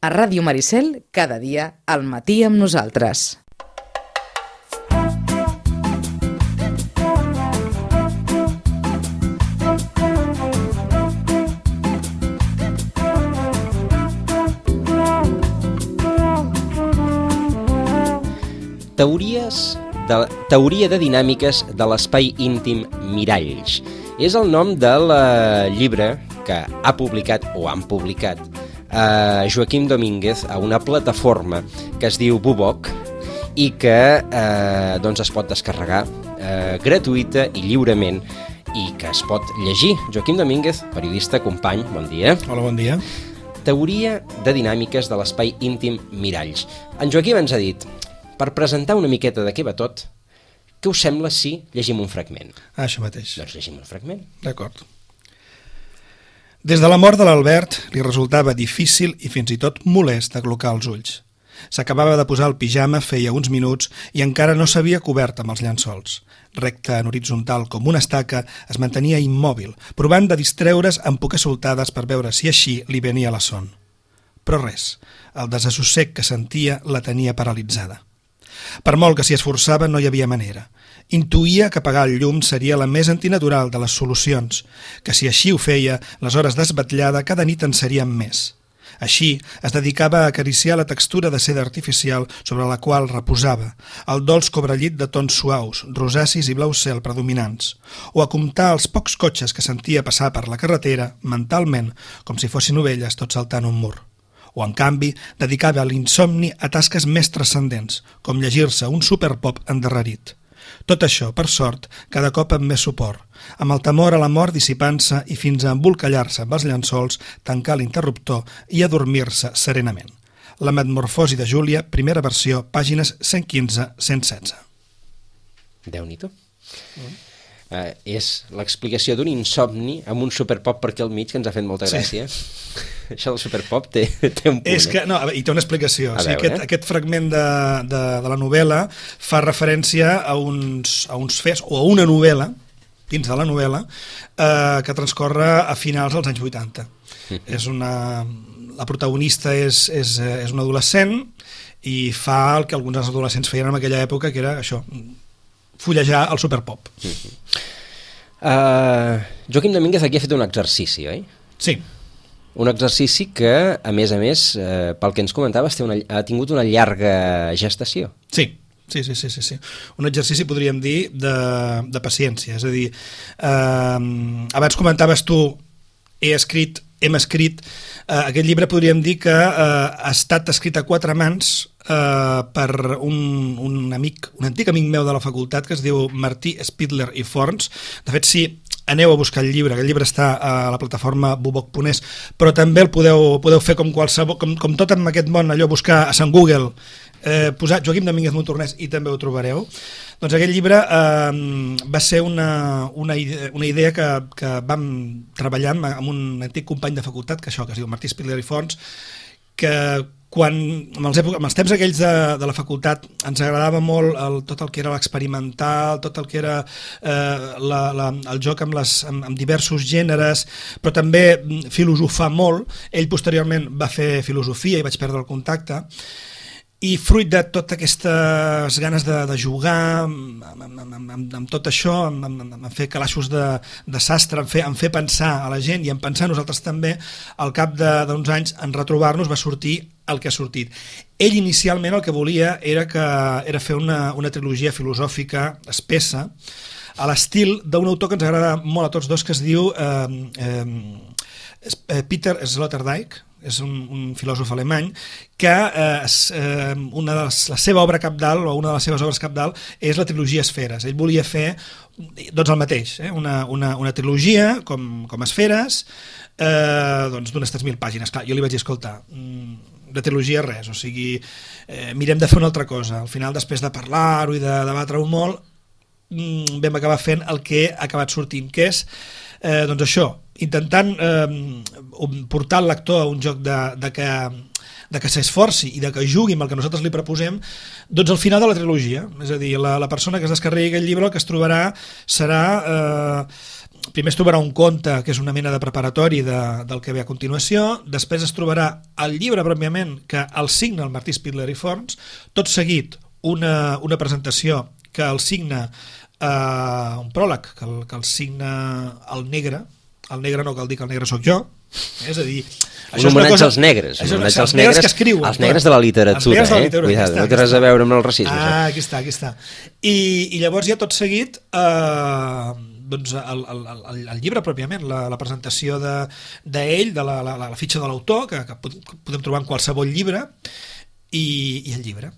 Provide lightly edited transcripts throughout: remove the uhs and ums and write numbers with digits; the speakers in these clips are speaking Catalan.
A Ràdio Maricel, cada dia al matí amb nosaltres. Teoria de dinàmiques de l'espai íntim Miralls. És el nom del llibre que ha publicat o han publicat Joaquim Domínguez a una plataforma que es diu Buboc i que es pot descarregar gratuïta i lliurement i que es pot llegir. Joaquim Domínguez, periodista, company, bon dia. Hola, bon dia. Teoria de dinàmiques de l'espai íntim Miralls. En Joaquim ens ha dit, per presentar una miqueta de què va tot, què us sembla si llegim un fragment? Això mateix. Doncs llegim un fragment. D'acord. Des de la mort de l'Albert li resultava difícil i fins i tot molest aclocar els ulls. S'acabava de posar el pijama feia uns minuts i encara no s'havia cobert amb els llençols. Recte en horitzontal com una estaca, es mantenia immòbil, provant de distreure's amb poques soltades per veure si així li venia la son. Però res, el desassossec que sentia la tenia paralitzada. Per molt que s'hi esforçava no hi havia manera. Intuïa que apagar el llum seria la més antinatural de les solucions, que si així ho feia, les hores d'esbatllada cada nit en serien més. Així, es dedicava a acariciar la textura de seda artificial sobre la qual reposava, el dolç cobrellit de tons suaus, rosacis i blau cel predominants, o a comptar els pocs cotxes que sentia passar per la carretera, mentalment, com si fossin ovelles tot saltant un mur. O, en canvi, dedicava l'insomni a tasques més transcendents, com llegir-se un superpop endarrerit. Tot això, per sort, cada cop amb més suport, amb el temor a la mort dissipant-se i fins a embolcallar-se amb els llençols, tancar l'interruptor i adormir-se serenament. La metamorfosi de Júlia, primera versió, pàgines 115-116. Déu-n'hi-do. És l'explicació d'un insomni amb un superpop per aquí al mig que ens ha fet molta gràcia. Sí. Això del superpop té un punt. És que, no, i té una explicació. O sigui, aquest fragment de la novel·la fa referència a uns fets, o a una novel·la, dins de la novel·la, que transcorre a finals dels anys 80. La protagonista és una adolescent i fa el que alguns adolescents feien en aquella època, que era això, fullejar el superpop. Joaquim Domínguez aquí ha fet un exercici, oi? Sí. Un exercici que, a més, pel que ens comentaves, ha tingut una llarga gestació. Sí. Un exercici, podríem dir, de paciència. És a dir, abans comentaves tu, hem escrit, aquest llibre podríem dir que ha estat escrit a 4 mans per un antic amic meu de la facultat que es diu Martí Spidler i Forns. De fet, si aneu a buscar el llibre, aquest llibre està a la plataforma buboc.es, però també el podeu fer com qualsevol, com tot en aquest món, allò, buscar a Sant Google, posar Joaquim Domínguez Montornès i també ho trobareu. Doncs aquest llibre va ser una idea que vam treballar amb un antic company de facultat, que es diu Martí Spidler i Forns, que amb els temps aquells de la facultat ens agradava molt tot el que era l'experimental, tot el que era el joc amb diversos gèneres, però també filosofar molt. Ell posteriorment va fer filosofia i vaig perdre el contacte, i fruit de totes aquestes ganes de jugar amb tot això, en fer calaixos de sastre, en fer pensar a la gent i en pensar nosaltres també, al cap d'uns anys, en retrobar-nos, va sortir el que ha sortit. Ell inicialment el que volia era fer una trilogia filosòfica espessa, a l'estil d'un autor que ens agrada molt a tots dos, que es diu Peter Sloterdijk. És un filòsof alemany que la seva obra cabdal, o una de les seves obres cabdal, és la trilogia Esferes. Ell volia fer doncs el mateix, una trilogia com Esferes, d'unes 3.000 pàgines. Clar, jo li vaig dir, escolta, de trilogia res, o sigui, mirem de fer una altra cosa. Al final, després de parlar-ho i de debatre-ho molt, vam acabar fent el que ha acabat sortint, que és doncs això, intentant portar el lector a un joc de que s'esforci i de que jugui amb el que nosaltres li proposem, doncs al final de la trilogia. És a dir, la persona que es descarregui aquest llibre el que es trobarà serà primer es trobarà un conte que és una mena de preparatori del que ve a continuació, després es trobarà el llibre pròpiament que el signa el Martí Spitler i Forns, tot seguit una presentació que el signa un pròleg que el signa el negre no cal dir que el negre sóc jo, és a dir, un homenatge als negres, els negres que escriuen, els negres de la literatura, cuidado, no té res a veure amb el racisme. Aquí està. I llavors ja tot seguit doncs el llibre pròpiament, la presentació d'ell, de la fitxa de l'autor, que podem trobar en qualsevol llibre, i el llibre.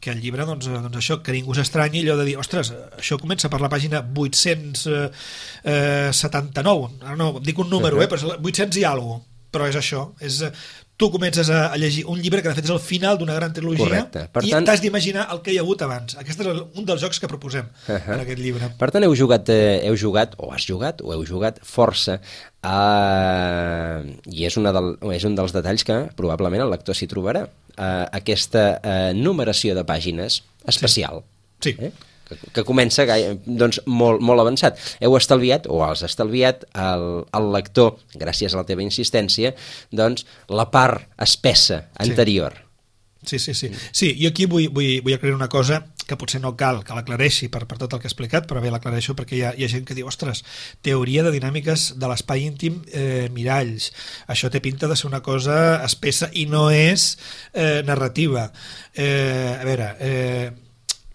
Que el llibre, doncs això, que ningú s'estranyi allò de dir, ostres, això comença per la pàgina 879, ara no, dic un número, però 800 i alguna cosa, però és això, tu comences a llegir un llibre que de fet és el final d'una gran trilogia. I t'has d'imaginar el que hi ha hagut abans. Aquest és un dels jocs que proposem en aquest llibre. Per tant, heu jugat força i és un dels detalls que probablement el lector s'hi trobarà, aquesta numeració de pàgines especial. Sí. Que comença doncs, molt avançat. Heu estalviat, o has estalviat, al lector, gràcies a la teva insistència, doncs, la part espessa anterior. Sí, jo aquí vull aclarir una cosa que potser no cal que l'aclareixi per tot el que he explicat, però bé, l'aclareixo perquè hi ha gent que diu, ostres, teoria de dinàmiques de l'espai íntim, miralls, això té pinta de ser una cosa espessa i no és narrativa. A veure,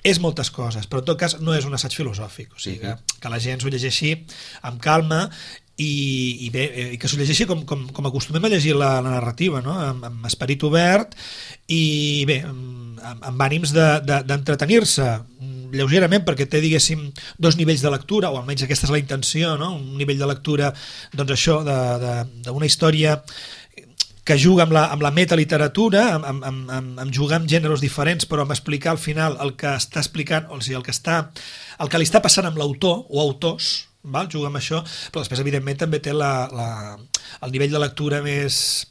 és moltes coses, però en tot cas no és un assaig filosòfic, o sigui que la gent s'ho llegeixi amb calma i que s'ho llegeixi com acostumem a llegir la narrativa, no? Amb esperit obert i bé, amb ànims d'entretenir-se lleugerament, perquè té, diguéssim, dos nivells de lectura, o almenys aquesta és la intenció, no? Un nivell de lectura, doncs això, d'una història que juga amb la metaliteratura, amb jugar amb gèneres diferents, però amb explicar al final el que està explicant, o sigui, el que li està passant amb l'autor o autors, val? Juga amb això, però després evidentment també té el nivell de lectura més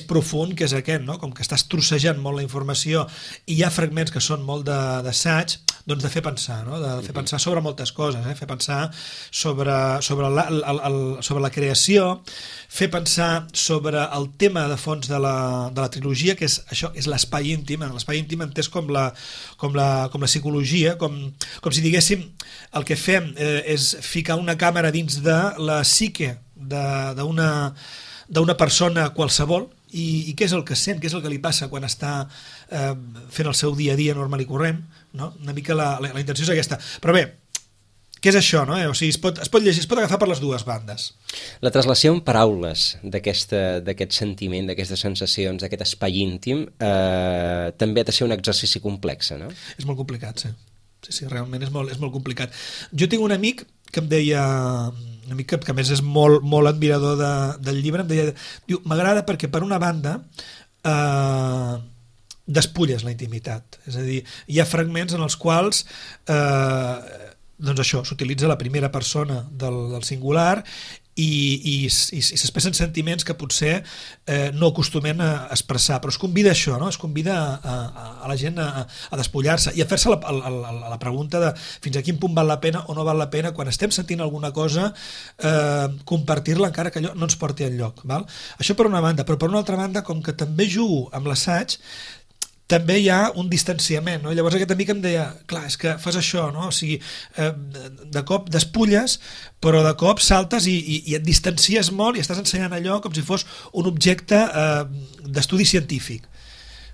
profund, que és aquest, no? Com que estàs trossejant molt la informació i hi ha fragments que són molt d'assaig, doncs de fer pensar, no? De fer pensar sobre moltes coses, fer pensar sobre la creació, fer pensar sobre el tema de fons de la trilogia, que és això, és l'espai íntim, l'espai íntim entès com la psicologia, com si diguéssim el que fem és ficar una càmera dins de la psique d'una persona qualsevol i què és el que sent, què és el que li passa quan està fent el seu dia a dia normal i corrent, no? Una mica la intenció és aquesta. Però bé, què és això, no? O sigui, es pot llegir, es pot agafar per les dues bandes. La traslació en paraules d'aquest sentiment, d'aquestes sensacions, d'aquest espai íntim, també ha de ser un exercici complex, no? És molt complicat, sí. Sí, realment és molt complicat. Jo tinc un amic que em deia, un amic que a més és molt admirador del llibre, em deia, diu, m'agrada perquè per una banda despulles la intimitat, és a dir, hi ha fragments en els quals doncs això, s'utilitza la primera persona del singular i s'expressen sentiments que potser no acostumem a expressar, però es convida a això, no? Es convida a la gent a despullar-se i a fer-se la pregunta de fins a quin punt val la pena o no val la pena quan estem sentint alguna cosa compartir-la encara que allò no ens porti enlloc, val? Això per una banda, però per una altra banda, com que també jugo amb l'assaig, també hi ha un distanciament, no? Llavors aquest amic em deia, clar, és que fas això, no? O sigui, de cop despulles, però de cop saltes i et distancies molt i estàs ensenyant allò com si fos un objecte d'estudi científic,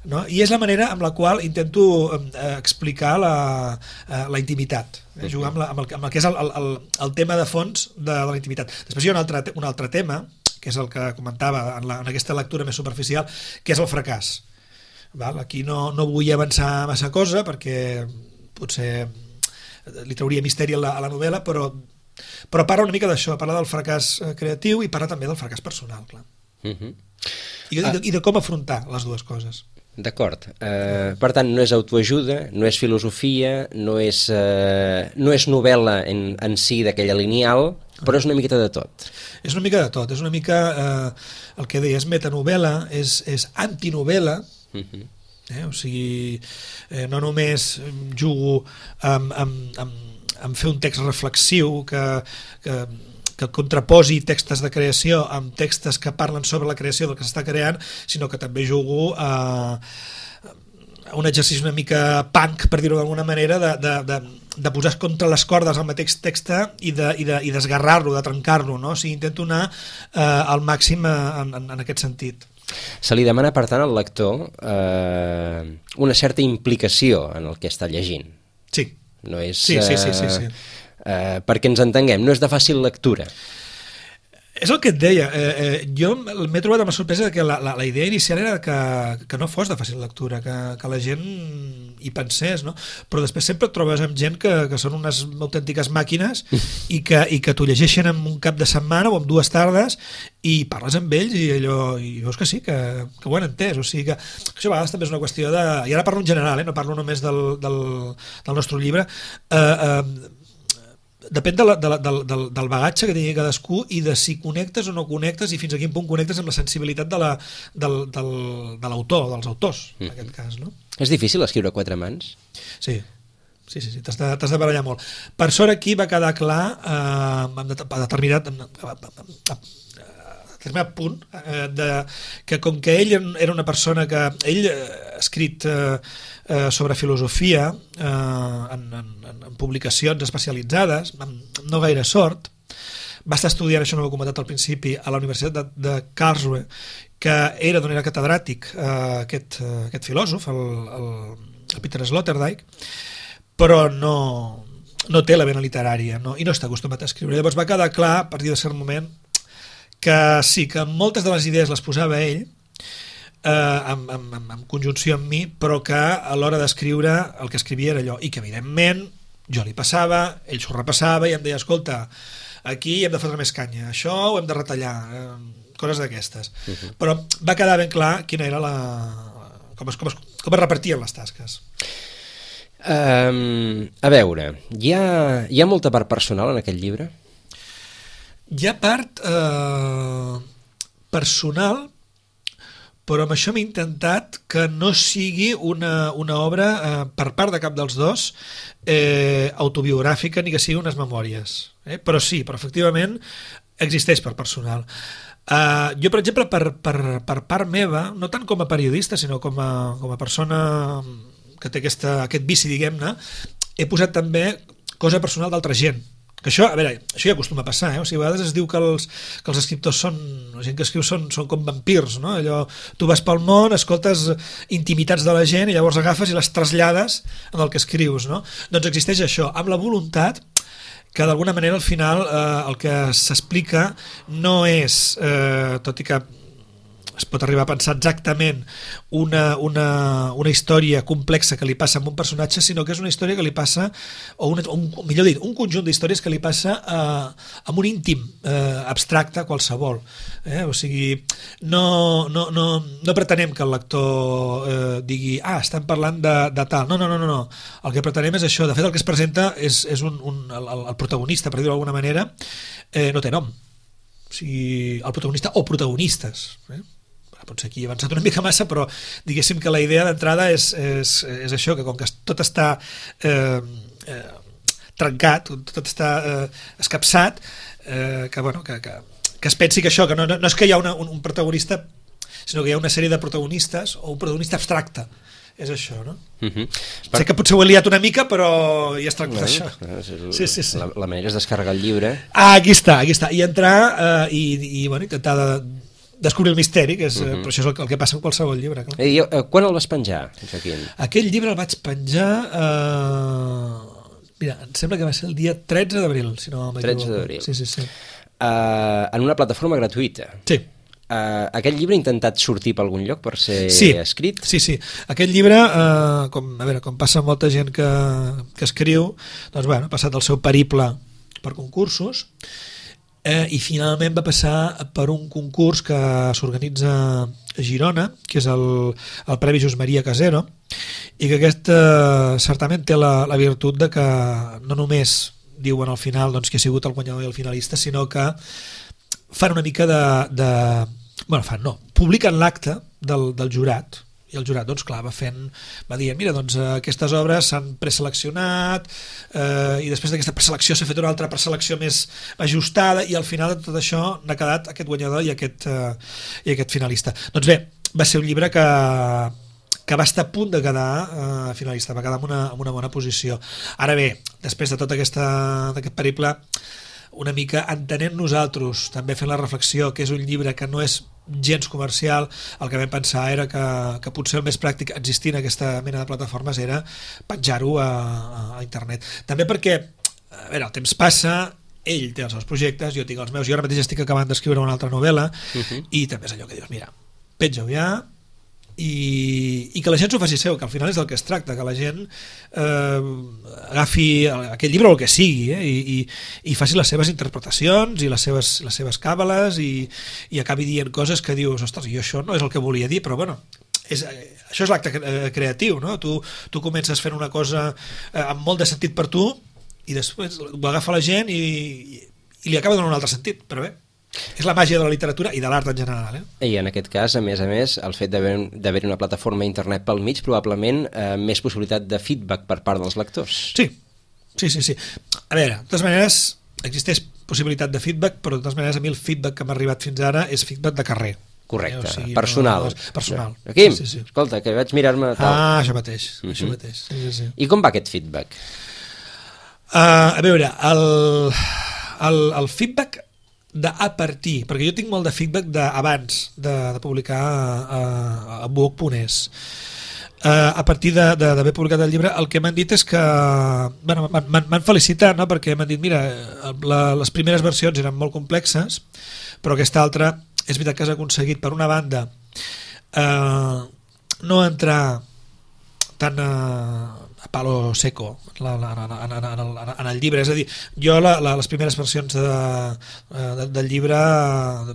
no? I és la manera amb la qual intento explicar la intimitat, jugar amb el que és el tema de fons de la intimitat. Després hi ha un altre tema, que és el que comentava en aquesta lectura més superficial, que és el fracàs. Val? Aquí no vull avançar massa cosa perquè potser li trauria misteri a la novel·la, però parla una mica d'això, parla del fracàs creatiu i parla també del fracàs personal, clar. I de com afrontar les dues coses. D'acord. Per tant, no és autoajuda, no és filosofia, no és novel·la en si d'aquella lineal, però és una miqueta de tot. És una mica de tot, és una mica el que deia, és metanovel·la, és antinovel·la. O sigui, no només jugo amb fer un text reflexiu que que contraposi textos de creació amb textos que parlen sobre la creació del que s'està creant, sinó que també jugo a un exercici una mica punk, per dir-ho d'alguna manera, de posar contra les cordes el mateix text i desgarrar-lo, de trencar-lo, no? O sigui, intento anar al màxim en aquest sentit. Se li demana, per tant, al lector una certa implicació en el que està llegint. Sí. No és, sí. perquè ens entenguem, no és de fàcil lectura. És el que et deia, jo m'he trobat amb la sorpresa que la idea inicial era que no fos de fàcil lectura, que la gent hi pensés, no? Però després sempre et trobes amb gent que són unes autèntiques màquines i que t'ho llegeixen en un cap de setmana o en 2 tardes i parles amb ells i veus que sí, que ho han entès. O sigui que això a vegades també és una qüestió de... I ara parlo en general, no parlo només del nostre llibre. Depèn del bagatge que tingui cadascú i de si connectes o no connectes i fins a quin punt connectes amb la sensibilitat de l'autor, dels autors, en aquest cas, no? És difícil escriure a 4 mans? Sí, t'has de barallar molt. Per sort aquí va quedar clar a determinat punt que com que ell era una persona que ell ha escrit sobre filosofia en publicacions especialitzades, amb no gaire sort, va estar estudiant, això no ho he comentat al principi, a la Universitat de Karlsruhe, que era d'on era catedràtic aquest filòsof, el Peter Sloterdijk, però no té la vena literària, i no està acostumat a escriure. Llavors va quedar clar, a partir de cert moment, que sí, que moltes de les idees les posava ell en conjunció amb mi, però que a l'hora d'escriure el que escrivia era allò, i que evidentment jo li passava, ell s'ho repassava i em deia, escolta, aquí hem de fotre més canya, això ho hem de retallar, coses d'aquestes. Però va quedar ben clar quina era com es repartien les tasques. A veure, hi ha molta part personal en aquest llibre? Hi ha part personal, però amb això m'he intentat que no sigui una obra per part de cap dels dos autobiogràfica ni que sigui unes memòries, però efectivament existeix per personal. Jo, per exemple, per part meva, no tant com a periodista sinó com a persona que té aquest vici, diguem-ne, he posat també cosa personal d'altra gent. Que això, a veure, això ja acostuma a passar, o sigui, a vegades es diu que els escriptors la gent que escriu són com vampirs, no? Allò, tu vas pel món, escoltes intimitats de la gent i llavors agafes i les trasllades en el que escrius, no? Doncs existeix això, amb la voluntat que d'alguna manera al final el que s'explica no és, tot i que es pot arribar a pensar exactament una història complexa que li passa a un personatge, sinó que és una història que li passa, millor dit, un conjunt d'històries que li passa a un íntim abstracte qualsevol. O sigui, no pretenem que el lector digui, estem parlant de tal. No. El que pretenem és això. De fet, el que es presenta és el protagonista, per dir-ho d'alguna manera, no té nom. O sigui, el protagonista o protagonistes. Potser aquí he avançat una mica massa, però diguéssim que la idea d'entrada és això, que com que tot està trencat, tot està escapçat, que es pensi que això, que no és que hi ha un protagonista, sinó que hi ha una sèrie de protagonistes o un protagonista abstracte. És això, no? Sé que potser ho he liat una mica, però ja es tracta d'això. Sí. La manera és descarregar el llibre. Aquí està. I entrar i intentar descobrir el misteri, que és, però això és el que passa en qualsevol llibre. Quan el vas penjar, Joaquim? Aquell llibre el vaig penjar... Mira, em sembla que va ser el dia 13 d'abril, si no m'equivoco. 13 d'abril. Sí. En una plataforma gratuïta. Sí. Aquest llibre ha intentat sortir per algun lloc per ser escrit? Sí. Aquest llibre, com passa amb molta gent que escriu, doncs ha passat el seu periple per concursos i finalment va passar per un concurs que s'organitza a Girona, que és el Premi Josep Maria Casero, i que aquest certament té la virtut de que no només diuen al final que ha sigut el guanyador i el finalista, sinó que fan una mica publiquen l'acte del jurat I el jurat, doncs clar, va dir, mira, doncs aquestes obres s'han preseleccionat i després d'aquesta preselecció s'ha fet una altra preselecció més ajustada i al final de tot això n'ha quedat aquest guanyador i aquest finalista. Doncs bé, va ser un llibre que va estar a punt de quedar finalista, va quedar en una bona posició. Ara bé, després de tot aquest periple, una mica entenent nosaltres, també fent la reflexió que és un llibre que no és gens comercial, el que vam pensar era que potser el més pràctic existint aquesta mena de plataformes era penjar-ho a internet. També perquè, a veure, el temps passa, ell té els seus projectes, jo tinc els meus, jo ara mateix estic acabant d'escriure una altra novel·la i també és allò que dius, mira, penja-ho ja, i que la gent s'ho faci seu, que al final és del que es tracta, que la gent agafi aquest llibre o el que sigui i faci les seves interpretacions i les seves càbales i acabi dient coses que dius, ostres, jo això no és el que volia dir, però bueno, això és l'acte creatiu, no? Tu comences fent una cosa amb molt de sentit per tu i després ho agafa la gent i li acaba donant un altre sentit, però bé, és la màgia de la literatura i de l'art en general. I en aquest cas, a més, el fet d'haver-hi una plataforma internet pel mig, probablement més possibilitat de feedback per part dels lectors. Sí. A veure, de totes maneres, existeix possibilitat de feedback, però de totes maneres a mi el feedback que m'ha arribat fins ara és feedback de carrer. Correcte, o sigui, personal. Personal. Quim, escolta, que vaig mirar-me tal. Això mateix. Sí. I com va aquest feedback? A veure, el feedback a partir, perquè jo tinc molt de feedback abans de publicar a book.es. A partir d'haver publicat el llibre, el que m'han dit és que m'han felicitat, no? Perquè m'han dit, mira, les primeres versions eren molt complexes, però aquesta altra és veritat que has aconseguit, per una banda, no entrar tan a palo seco en el llibre, és a dir, jo les primeres versions del llibre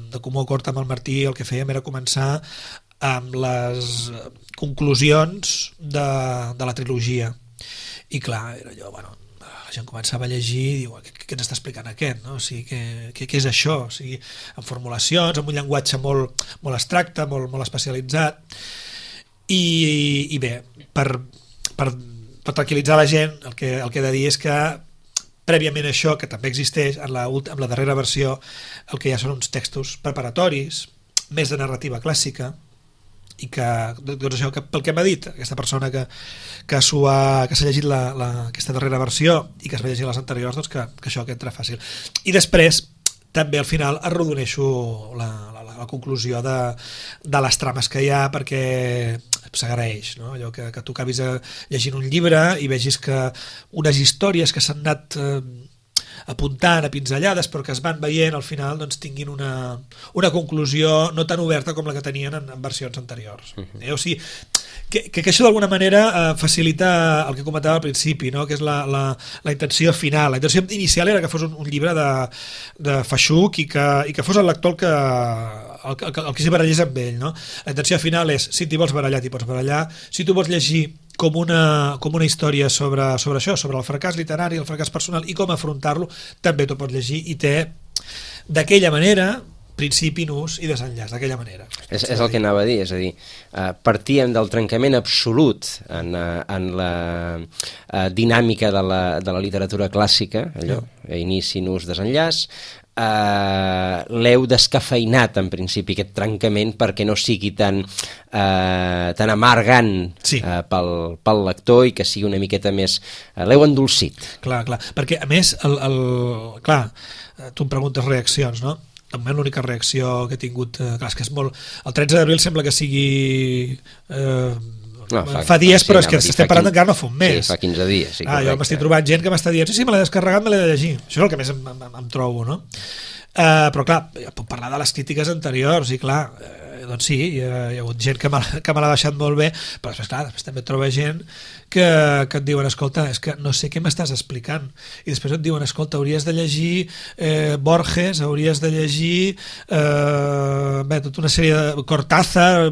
de Comú Acord amb el Martí el que fèiem era començar amb les conclusions de la trilogia i clar, era allò, bueno, la gent començava a llegir i diu, què ens està explicant aquest? No? O sigui, què és això? O sigui, amb formulacions, amb un llenguatge molt abstracte, molt especialitzat i bé, per tranquil·litzar la gent, el que he de dir és que prèviament això, que també existeix en la darrera versió, el que ja són uns textos preparatoris, més de narrativa clàssica, i que, doncs això, pel que m'ha dit aquesta persona que s'ha llegit aquesta darrera versió i que es va llegir les anteriors, doncs que això que entra fàcil. I després, també al final arrodoneixo la conclusió de les trames que hi ha, perquè s'agraeix, no? Allò que tu acabis llegint un llibre i vegis que unes històries que s'han anat apuntant a pinzellades però que es van veient al final doncs tinguin una conclusió no tan oberta com la que tenien en versions anteriors. O sigui, que això d'alguna manera facilita el que comentava al principi, no? Que és la intenció final. La intenció inicial era que fos un llibre de feixuc i que fos el lector el que s'hi barallés amb ell, no? La intenció final és, si t'hi vols barallar, t'hi pots barallar. Si tu vols llegir com una història sobre això, sobre el fracàs literari, el fracàs personal i com afrontar-lo, també t'ho pots llegir i té d'aquella manera principi, nus i desenllaç, d'aquella manera. És el que anava a dir, és a dir, partíem del trencament absolut en la dinàmica de la literatura clàssica, allò, inici, nus, desenllaç, l'heu descafeinat en principi aquest trencament perquè no sigui tan amargant pel lector i que sigui una miqueta més, l'heu endolcit. Clar, perquè a més clar, tu em preguntes reaccions, no? També l'única reacció que he tingut, clar, és que és molt, el 13 d'abril sembla que sigui fa dies, però és que estem parlant encara no fa un mes. Sí, fa 15 dies. Sí, jo m'estic trobant gent que m'està dient sí, me l'he descarregat, me l'he de llegir. Això és el que més em trobo, no? Però clar, puc parlar de les crítiques anteriors i clar, doncs sí, hi ha hagut gent que me l'ha deixat molt bé, però després també troba gent que et diuen, escolta, és que no sé què m'estàs explicant, i després et diuen, escolta, hauries de llegir Borges, hauries de llegir tota una sèrie de Cortázar,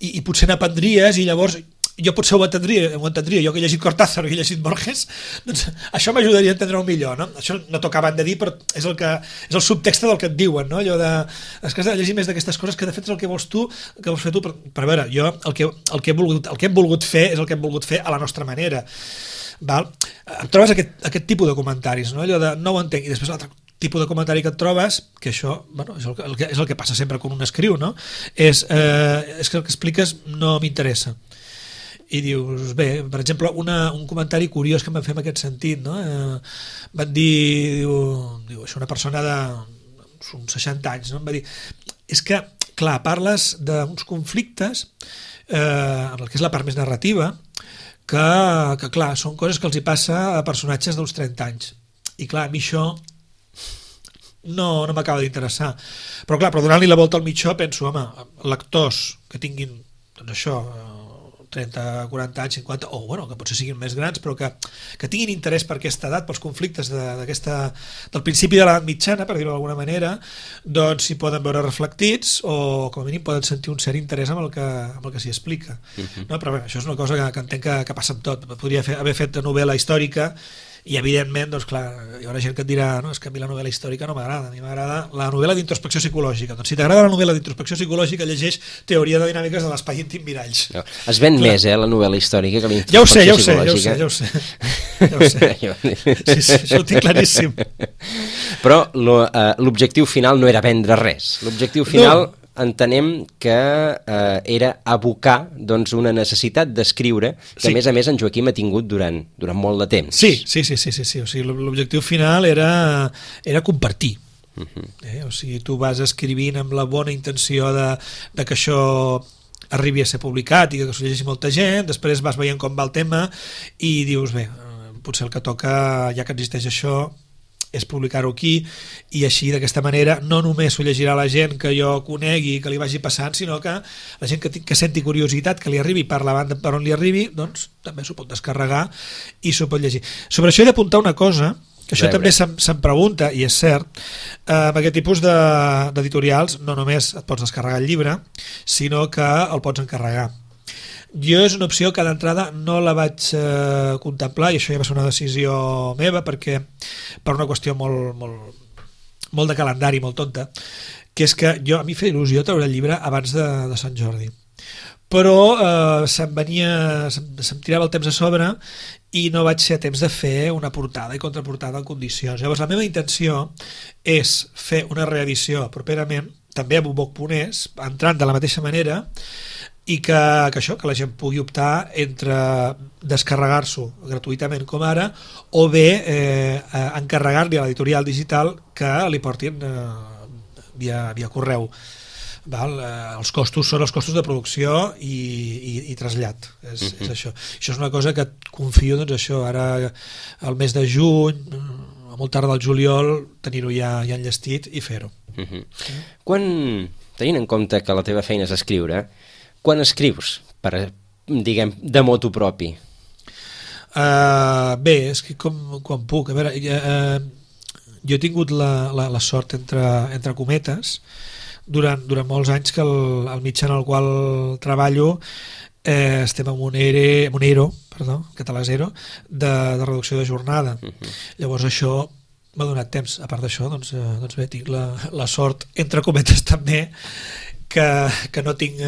i potser n'aprendries, i llavors jo potser ho entendria, jo que he llegit Cortázar o que he llegit Borges, doncs això m'ajudaria a entendre-ho millor, no? Això no t'ho acaben de dir, però és el subtext del que et diuen, no? Allò de, és que has de llegir més d'aquestes coses, que de fet és el que vols tu, que vols fer tu, per veure, jo el que hem volgut fer és el que hem volgut fer a la nostra manera, val? Et trobes aquest tipus de comentaris, no? Allò de no ho entenc, i després l'altre tipus de comentari que et trobes, que això, bueno, és el que passa sempre quan un escriu, no? És que el que expliques no m'interessa. I dius, bé, per exemple, un comentari curiós que em van fer en aquest sentit, no? Van dir, diu, això una persona d'uns 60 anys, no? Em va dir, és que, clar, parles d'uns conflictes en el que és la part més narrativa, que clar, són coses que els hi passa a personatges d'uns 30 anys. I clar, a mi això no m'acaba d'interessar. Però clar, donant-li la volta al mitjó penso, home, lectors que tinguin, doncs això, 30, 40 anys, 50, o bueno, que potser siguin més grans, però que tinguin interès per aquesta edat, pels conflictes del principi de l'edat mitjana, per dir-ho d'alguna manera, doncs s'hi poden veure reflectits o com a mínim poden sentir un cert interès amb el que s'hi explica. No? Però bé, això és una cosa que entenc que passa amb tot. Podria haver fet novel·la històrica i evidentment, doncs clar, hi haurà gent que et dirà, no, és que a mi la novel·la històrica no m'agrada, a mi m'agrada la novel·la d'introspecció psicològica. Doncs si t'agrada la novel·la d'introspecció psicològica, llegeix Teoria de dinàmiques de l'espai íntim miralls. No, es ven més, la novel·la històrica que la ja ho sé. Sí, això ho tinc claríssim. Però l'objectiu final no era vendre res. L'objectiu final... No. Entenem que era abocar doncs, una necessitat d'escriure que, a més, en Joaquim ha tingut durant molt de temps. Sí. O sigui, l'objectiu final era compartir. O sigui, tu vas escrivint amb la bona intenció de que això arribi a ser publicat i que s'ho llegeixi molta gent, després vas veient com va el tema i dius, bé, potser el que toca, ja que existeix això, és publicar-ho aquí, i així d'aquesta manera no només ho llegirà la gent que jo conegui, que li vagi passant, sinó que la gent que senti curiositat, que li arribi per la banda per on li arribi, doncs també s'ho pot descarregar i s'ho pot llegir. Sobre això he d'apuntar una cosa, que això també se'm pregunta, i és cert, amb aquest tipus d'editorials no només et pots descarregar el llibre, sinó que el pots encarregar. Jo és una opció que d'entrada no la vaig contemplar, i això ja va ser una decisió meva, perquè per una qüestió molt de calendari, molt tonta, que és que a mi feia il·lusió treure el llibre abans de Sant Jordi. Però se'm tirava el temps a sobre i no vaig ser a temps de fer una portada i contraportada en condicions. Llavors la meva intenció és fer una reedició properament, també a Buboc.es, entrant de la mateixa manera, i que la gent pugui optar entre descarregar-s'ho gratuïtament com ara o bé encarregar-li a l'editorial digital que li portin via correu. Els costos són els costos de producció i trasllat, és això. Això és una cosa que confio, doncs això, ara al mes de juny, a molt tard del juliol, tenir-ho ja enllestit i fer-ho. Quan, tenint en compte que la teva feina és escriure, quan escrius, diguem, de motu propi? Bé, és que quan puc. A veure, jo he tingut la sort, entre cometes, durant molts anys que el mitjà en el qual treballo estem en un ERO, català zero, de reducció de jornada. Llavors això m'ha donat temps. A part d'això, doncs bé, tinc la sort, entre cometes també, que no tinc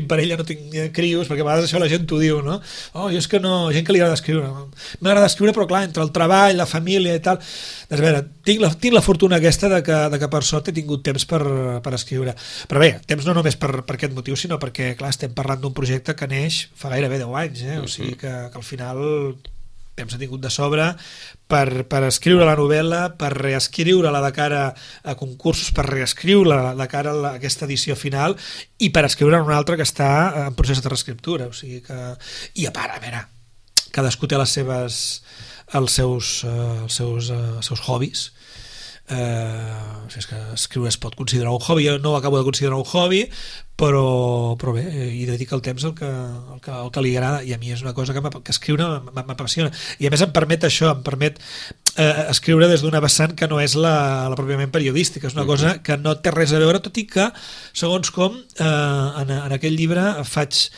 parella, no tinc crios, perquè a vegades això la gent t'ho diu, no? Jo és que no, gent que li agrada escriure. M'agrada escriure, però clar, entre el treball, la família i tal, doncs a veure, tinc la fortuna aquesta de que per sort he tingut temps per escriure. Però bé, temps no només per aquest motiu, sinó perquè, clar, estem parlant d'un projecte que neix fa gairebé 10 anys, o sigui que al final temps ha tingut de sobre per escriure la novel·la, per reescriure-la de cara a concursos, per reescriure-la de cara a aquesta edició final i per escriure una altra que està en procés de reescriptura. O sigui que... I a part, a veure, cadascú té els seus hobbies. És que escriure es pot considerar un hobby, jo no ho acabo de considerar un hobby, però bé, hi dedica el temps al que li agrada, i a mi és una cosa que escriure m'apassiona, i a més em permet escriure des d'una vessant que no és la pròpiament periodística, és una cosa que no té res a veure, tot i que segons com en aquell llibre faig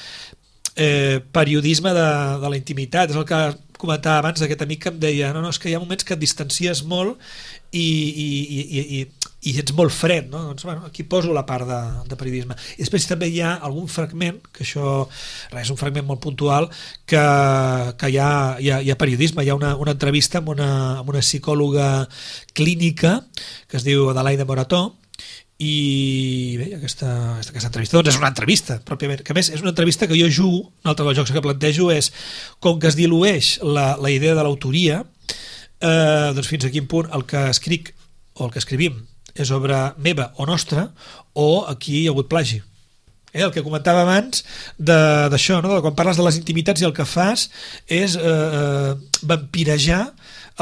periodisme de la intimitat. És el que comentava abans d'aquest amic que em deia no, és que hi ha moments que et distancies molt i ets molt fred, no? Doncs, bueno, aquí poso la part de periodisme. I després també hi ha algun fragment, que això és un fragment molt puntual, que hi ha periodisme, hi ha una entrevista amb una psicòloga clínica que es diu Adelaide Morató, i bé, aquesta entrevista doncs és una entrevista pròpiament, que a més és una entrevista que jo jugo, un altre dels jocs que plantejo és com que es dilueix la idea de l'autoria, doncs fins a quin punt el que escric o el que escrivim és obra meva o nostra, o aquí hi ha hagut plagi. El que comentava abans d'això, no? De quan parles de les intimitats i el que fas és vampirejar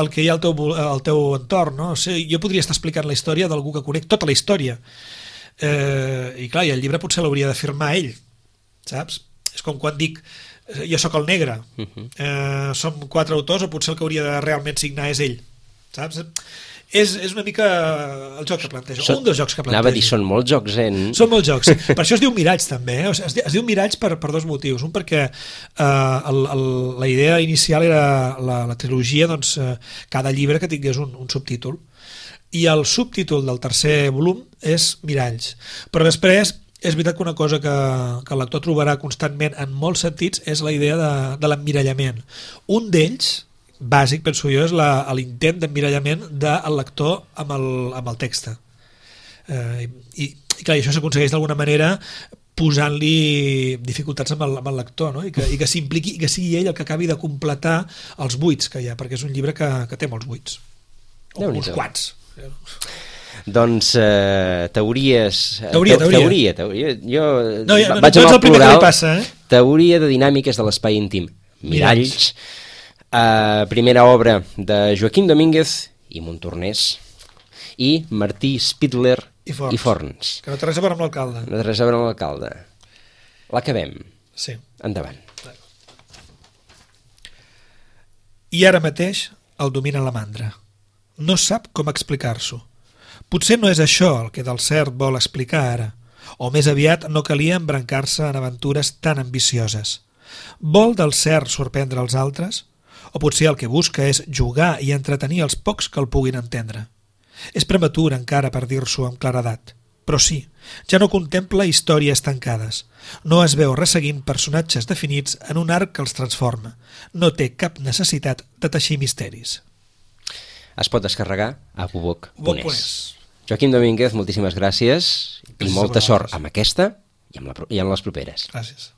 el que hi ha al teu entorn, no? O sigui, jo podria estar explicant la història d'algú que conec, tota la història, i clar, i el llibre potser l'hauria de firmar ell, saps? És com quan dic jo sóc el negre, som 4 autors, o potser el que hauria de realment signar és ell, saps? És una mica el joc que plantejo, un dels jocs que plantejo. Anava a dir, són molts jocs, Són molts jocs, per això es diu miralls també, o sigui, es diu miralls per dos motius. Un perquè la idea inicial era la trilogia, doncs cada llibre que tingués un subtítol, i el subtítol del tercer volum és miralls, però després és veritat que una cosa que el lector trobarà constantment en molts sentits és la idea de l'emmirallament. Un d'ells bàsic, penso jo, és l'intent d'emmirallament del lector amb el text. I clar, això s'aconsegueix d'alguna manera posant-li dificultats amb el lector, no? I que s'impliqui i que sigui ell el que acabi de completar els buits que hi ha, perquè és un llibre que té molts buits. O uns quants. Doncs teories... Teoria. Jo vaig amb el plural. Teoria de dinàmiques de l'espai íntim. Miralls. Primera obra de Joaquim Domínguez i Montornès i Martí Spidler i Forns. Que no té res a veure amb l'alcalde. No té res a veure amb l'alcalde. L'acabem. Sí. Endavant. I ara mateix el domina la mandra. No sap com explicar-s'ho. Potser no és això el que del cert vol explicar ara, o més aviat no calia embrancar-se en aventures tan ambicioses. Vol del cert sorprendre els altres? O potser el que busca és jugar i entretenir els pocs que el puguin entendre. És prematur encara per dir-s'ho amb claredat, però sí, ja no contempla històries tancades. No es veu resseguint personatges definits en un arc que els transforma. No té cap necessitat de teixir misteris. Es pot descarregar a buboc.es. Joaquim Domínguez, moltíssimes gràcies i molta sort amb aquesta i amb les properes. Gràcies.